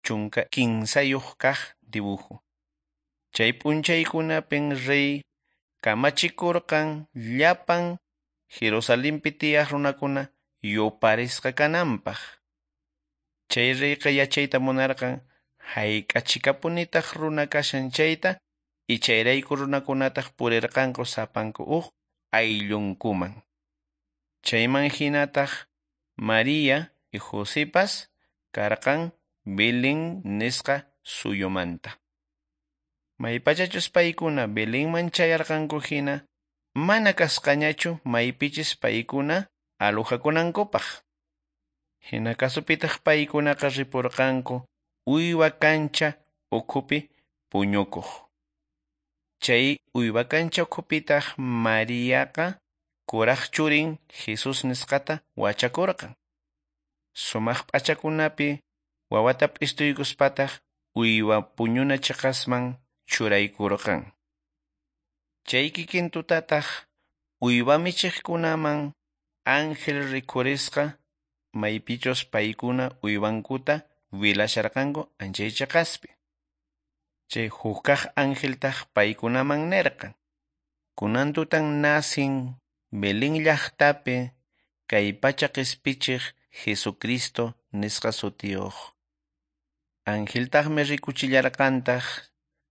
13 kaq dibujo. Chay p'unchaykunapin rey kamachikurqan llapan Jerusalenpi tiyaq runakuna yuparisqa kananpaq. Chay reyqa yachayta munarqan hayk'achikapunitaq runa kashan chayta y chayrayku runakunataq purirqanku sapanku huk ayllunkuman. Chayman hinataq María y Josepas karqan Belén nisqa suyumanta. Maypachachus paykuna Belenman chayarqanku hina mana kasqañachu maypichis paykuna alojakunankupaq. Hina kasupitaq paykunaqa ripurqanku uywa kancha ukhupi puñukuq. Chay uywa kancha ukhupitaq Mariaqa kuraq churin Jesus nisqata wachakurqan. Sumaq p'achakunapi wawata p'istuykuspataq uywa puñuna chiqasman churaykurqan. Chay kikin tutataq uywa michiqkunaman ángel rikhurisqa maypichus paykuna uywankuta wilasharqanku anchay chiqaspi. Chay hukkaq angeltaq paykunaman nirqan: Kunan tutan nacin Belén llaqtapi kay pacha qispichiq Jesucristo nisqa sutiyuq. Angeltaqmi rikuchillarqantaq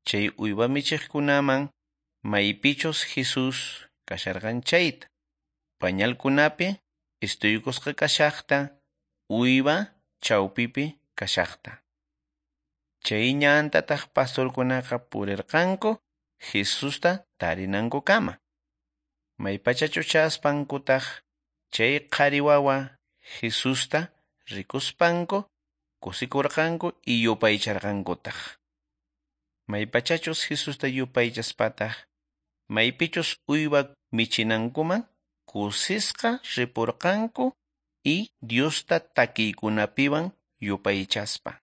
chay uywa michiqkunaman maypichus Jesus kasharqan chayta. Pañalkunapi istuykusqa kashaqta, uywa chawpipi kashaqta. Chay ñantataq pastorkunaqa purirqanku Jesusta tarinankukama. Maypachachu chaspankutaq chay qhari wawa Jesusta rikuspanku kusikurqanku y yupaycharqankutaq. Maypachachus Jesusta yupaychaspataq maypichus uywa michinankuman kusisqa ripurqanku y Diosta takiykunapiwan yupaychaspa.